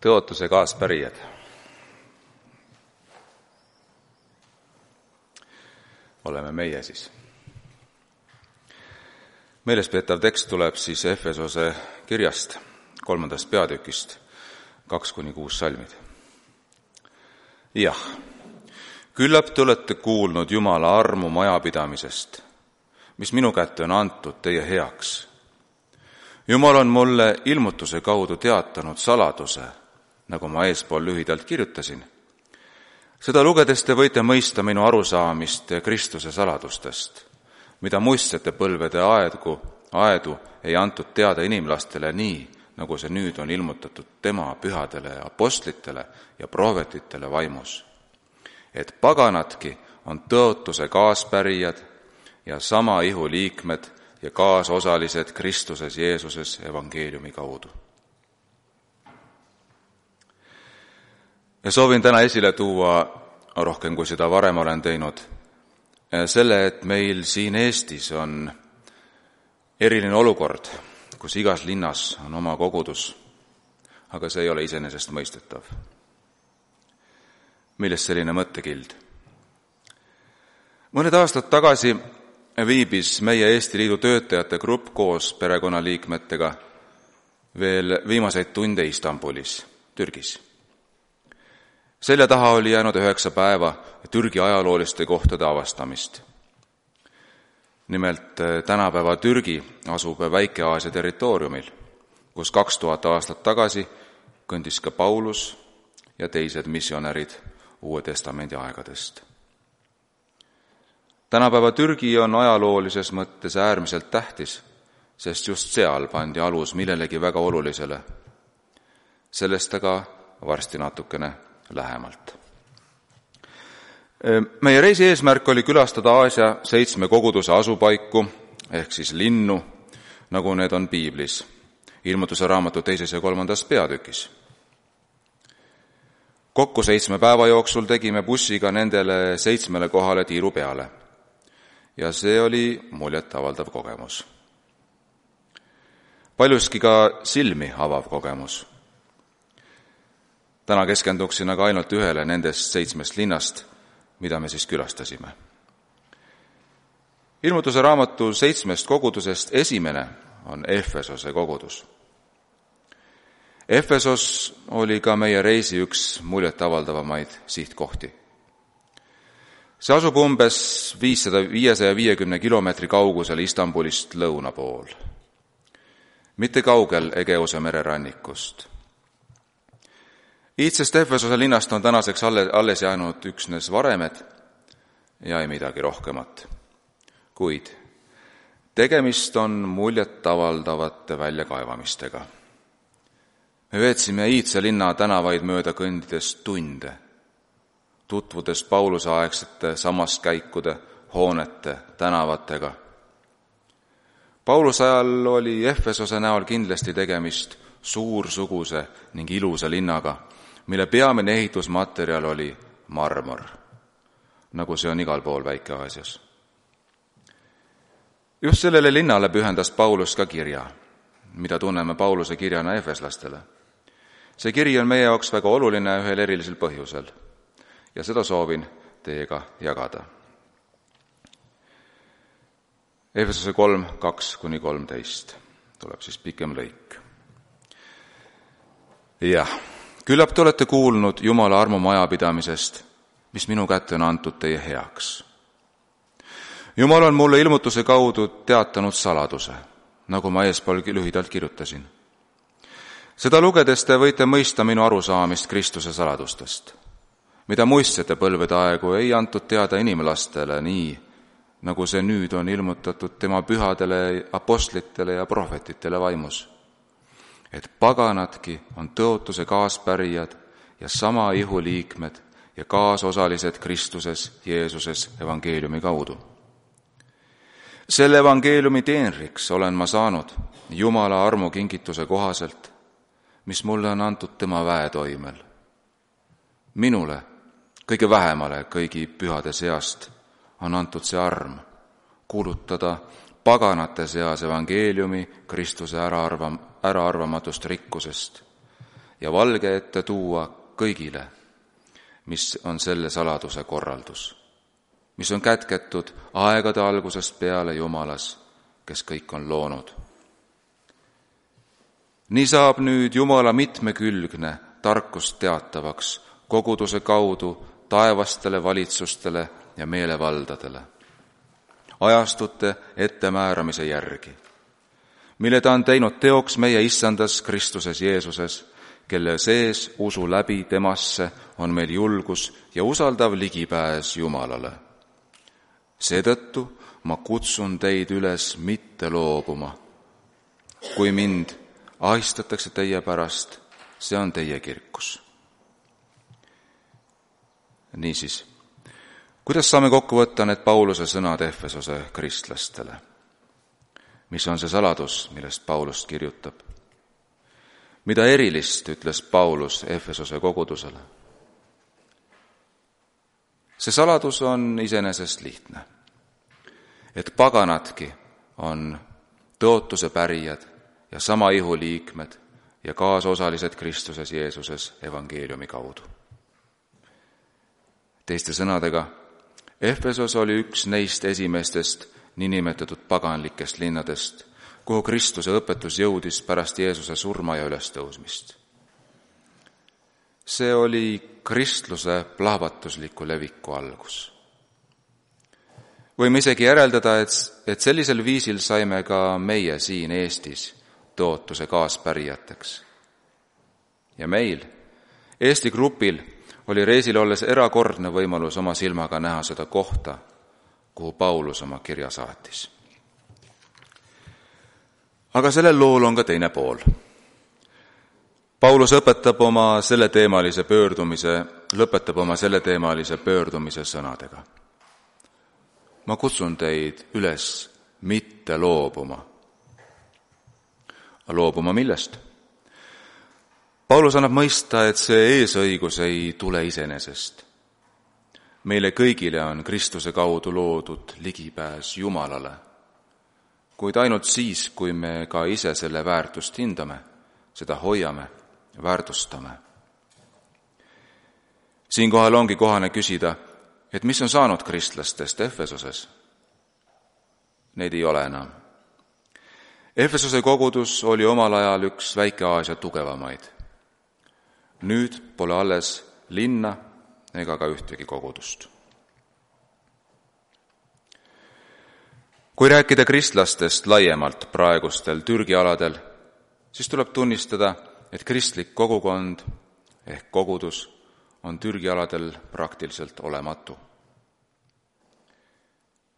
Tõotuse kaaspärijad. Oleme meie siis. Meelespeetav tekst tuleb siis Efesose kirjast, 3. peatükist, 2-6 salmid. Jah, küllap te olete kuulnud Jumala armu majapidamisest, mis minu kätte on antud teie heaks. Jumal on mulle ilmutuse kaudu teatanud saladuse, nagu ma eespool lühidalt kirjutasin. Seda lugedes te võite mõista minu arusaamist Kristuse saladustest, mida muistsete põlvede aedu ei antud teada inimlastele nii, nagu see nüüd on ilmutatud tema pühadele apostlitele ja prohvetitele vaimus. Et paganadki on tõotuse kaaspärijad ja sama ihu liikmed ja kaasosalised Kristuses Jeesuses evangeeliumi kaudu. Ja soovin täna esile tuua, rohkem kui seda varem olen teinud, selle, et meil siin Eestis on eriline olukord, kus igas linnas on oma kogudus, aga see ei ole iseenesestmõistetav. Millest selline mõttekild? Mõned aastad tagasi viibis meie Eesti Liidu töötajate grupp koos perekonnaliikmetega veel viimaseid tunde Istanbulis, Türgis. Selja taha oli jäänud 9 päeva Türgi ajalooliste kohtade avastamist. Nimelt tänapäeva Türgi asub Väike-Aasia territooriumil, kus 2000 aastat tagasi kõndis ka Paulus ja teised missionärid Uue Testamendi aegadest. Tänapäeva Türgi on ajaloolises mõttes äärmiselt tähtis, sest just seal pandi alus millelegi väga olulisele. Sellest aga varsti natukene lähemalt. Meie reisi eesmärk oli külastada Aasia 7 koguduse asupaiku, ehk siis linnu, nagu need on piiblis, Ilmutuse raamatu 2. ja 3. peatükis. Kokku 7 päeva jooksul tegime bussiga nendele 7 kohale tiiru peale. Ja see oli muljetavaldav kogemus. Paljuski ka silmi avav kogemus. Täna keskenduksin aga ainult ühele nendest 7 linnast, mida me siis külastasime. Ilmutuse raamatu 7 kogudusest esimene on Efesose kogudus. Efesos oli ka meie reisi üks muljetavaldavamaid sihtkohti. See asub umbes 550 kilomeetri kaugusel Istanbulist lõuna pool, mitte kaugel Egeuse mererannikust. Iidsest Efesose linnast on tänaseks alles jäänud üksnes varemed ja ei midagi rohkemat. Kuid tegemist on muljetavaldavate väljakaevamistega. Me veetsime Iidse linna tänavaid mööda kõndides tunde, tutvudes Pauluse aegsete samaskäikude, hoonete, tänavatega. Pauluse ajal oli Efesose näol kindlasti tegemist suursuguse ning ilusa linnaga, mille peamine ehitusmaterjal oli marmor, nagu see on igal pool Väike-Aasias. Just sellele linnale pühendas Paulus ka kirja, mida tunneme Pauluse kirjana efeslastele. See kiri on meie jaoks väga oluline ühel erilisel põhjusel ja seda soovin teiega jagada. Efesose 3, 2-13 tuleb siis pikem lõik. Jah, küllap te olete kuulnud Jumala armu majapidamisest, mis minu kätte on antud teie heaks. Jumal on mulle ilmutuse kaudu teatanud saladuse, nagu ma eespool lühidalt kirjutasin. Seda lugedes te võite mõista minu arusaamist Kristuse saladustest, mida muistsete põlvede aegu ei antud teada inimlastele nii, nagu see nüüd on ilmutatud tema pühadele apostlitele ja prohvetitele vaimus. Et paganadki on tõotuse kaaspärijad ja sama ihu liikmed ja kaasosalised Kristuses Jeesuses evangeeliumi kaudu. Selle evangeeliumi teenriks olen ma saanud Jumala armu kingituse kohaselt, mis mulle on antud tema väetoimel. Minule, kõige vähemale kõigi pühade seast, on antud see arm kuulutada paganate seas evangeeliumi Kristuse äraarvamatust rikkusest ja valge ette tuua kõigile, mis on selle saladuse korraldus, mis on kätketud aegade algusest peale Jumalas, kes kõik on loonud. Nii saab nüüd Jumala mitmekülgne tarkust teatavaks koguduse kaudu taevastele valitsustele ja meelevaldadele, ajastute ettemääramise järgi, mille ta on teinud teoks meie issandas Kristuses Jeesuses, kelle sees usu läbi temasse on meil julgus ja usaldav ligipääs Jumalale. Seetõttu ma kutsun teid üles mitte loobuma. Kui mind ahistatakse teie pärast, see on teie kirkus. Niisiis, kuidas saame kokku võtta need Pauluse sõnad Efesose kristlastele? Mis on see saladus, millest Paulus kirjutab? Mida erilist ütles Paulus Efesose kogudusele? See saladus on iseenesest lihtne, et paganadki on tõotuse pärijad ja sama ihu liikmed ja kaasosalised Kristuses Jeesuses evangeeliumi kaudu. Teiste sõnadega, Efesos oli üks neist esimestest niinimetatud paganlikest linnadest, kuhu Kristuse õpetus jõudis pärast Jeesuse surma ja ülestõusmist. See oli kristluse plahvatusliku leviku algus. Võime isegi järeldada, et sellisel viisil saime ka meie siin Eestis tõotuse kaaspärijateks. Ja meil, Eesti grupil, oli reisil olles erakordne võimalus oma silmaga näha seda kohta, kuhu Paulus oma kirja saatis. Aga sellel lool on ka teine pool. Paulus lõpetab oma selleteemalise pöördumise sõnadega. Ma kutsun teid üles mitte loobuma. Loobuma millest? Paulus annab mõista, et see eesõigus ei tule iseenesest. Meile kõigile on Kristuse kaudu loodud ligipääs Jumalale, kuid ainult siis, kui me ka ise selle väärtust hindame, seda hoiame, väärtustame. Siinkohal ongi kohane küsida, et mis on saanud kristlastest Efesoses? Neid ei ole enam. Efesose kogudus oli omal ajal üks Väike-Aasia tugevamaid. Nüüd pole alles linna ega ka ühtegi kogudust. Kui rääkida kristlastest laiemalt praegustel Türgi aladel, siis tuleb tunnistada, et kristlik kogukond ehk kogudus on Türgi aladel praktiliselt olematu.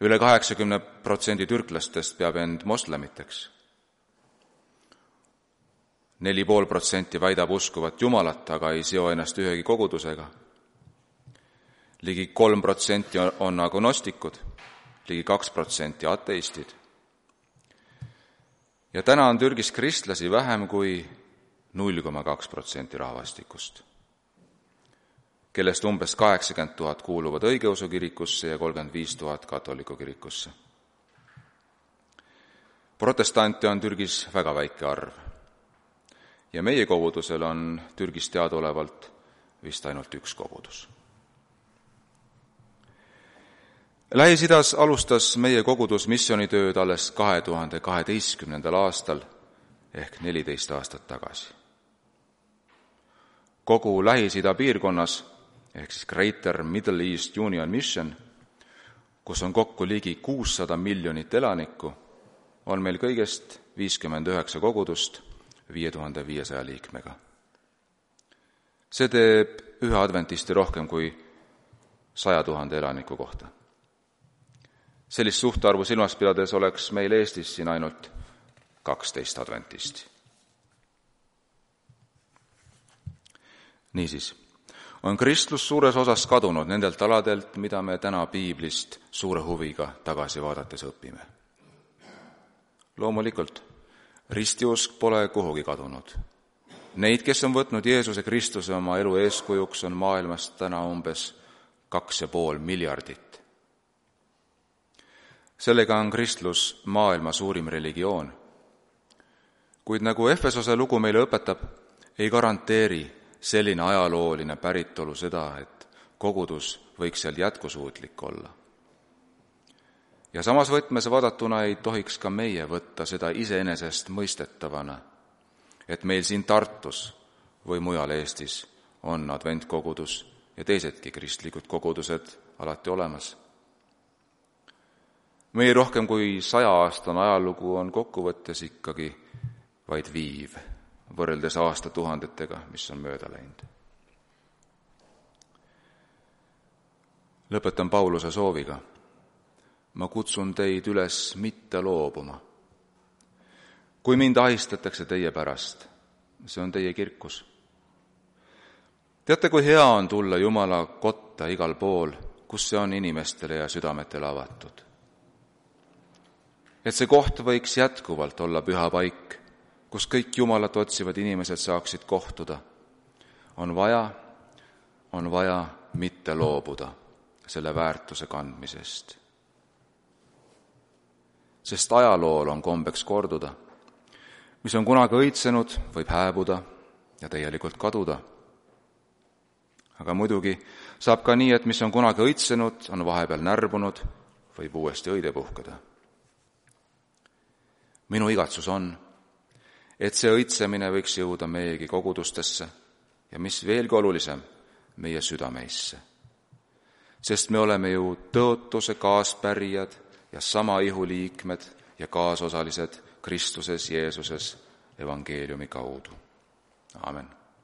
Üle 80% türklastest peab end moslemiteks. 4,5% väidab uskuvat Jumalat, aga ei seo ennast ühegi kogudusega. Ligi 3% on agnostikud, ligi 2% ateistid. Ja täna on Türgis kristlasi vähem kui 0,2% rahvastikust, kellest umbes 80 000 kuuluvad õigeusu kirikusse ja 35 000 katoliku kirikusse. Protestante on Türgis väga väike arv ja meie kogudusel on Türgis teadaolevalt vist ainult üks kogudus. Lähis-Idas alustas meie kogudus missioonitööd alles 2012. aastal ehk 14 aastat tagasi. Kogu Lähis-Ida piirkonnas ehk siis Greater Middle East Union Mission, kus on kokku ligi 600 miljonit elanikku, on meil kõigest 59 kogudust 5500 liikmega. See teeb ühe adventisti rohkem kui 100 000 elaniku kohta. Sellist suhtarvu silmas pidades oleks meil Eestis siin ainult 12 adventisti. Niisiis, on kristlus suures osas kadunud nendelt aladelt, mida me täna piiblist suure huviga tagasi vaadates õpime. Loomulikult, ristiusk pole kuhugi kadunud. Neid, kes on võtnud Jeesuse Kristuse oma elu eeskujuks, on maailmas täna umbes 2,5 miljardit. Sellega on kristlus maailma suurim religioon. Kuid nagu Efesose lugu meile õpetab, ei garanteeri selline ajalooline päritolu seda, et kogudus võiks seal jätkusuutlik olla. Ja samas võtmes vaadatuna ei tohiks ka meie võtta seda iseenesest mõistetavana, et meil siin Tartus või mujal Eestis on adventkogudus ja teisedki kristlikud kogudused alati olemas. Meie rohkem kui 100-aastane ajalugu on kokkuvõttes ikkagi vaid viiv, võrreldes aastatuhandetega, mis on mööda läinud. Lõpetan Pauluse sooviga. Ma kutsun teid üles mitte loobuma. Kui mind ahistatakse teie pärast, see on teie kirkus. Teate, kui hea on tulla Jumala kotta igal pool, kus see on inimestele ja südametele avatud. Et see koht võiks jätkuvalt olla püha paik, kus kõik Jumalat otsivad inimesed saaksid kohtuda. On vaja mitte loobuda selle väärtuse kandmisest. Sest ajalool on kombeks korduda. Mis on kunagi õitsenud, võib hääbuda ja täielikult kaduda. Aga muidugi saab ka nii, et mis on kunagi õitsenud, on vahepeal närbunud, võib uuesti õide puhkeda. Minu igatsus on, et see õitsemine võiks jõuda meiegi kogudustesse ja mis veelgi olulisem, meie südameisse. Sest me oleme ju tõotuse kaaspärijad ja sama ihu liikmed ja kaasosalised Kristuses Jeesuses evangeeliumi kaudu. Aamen.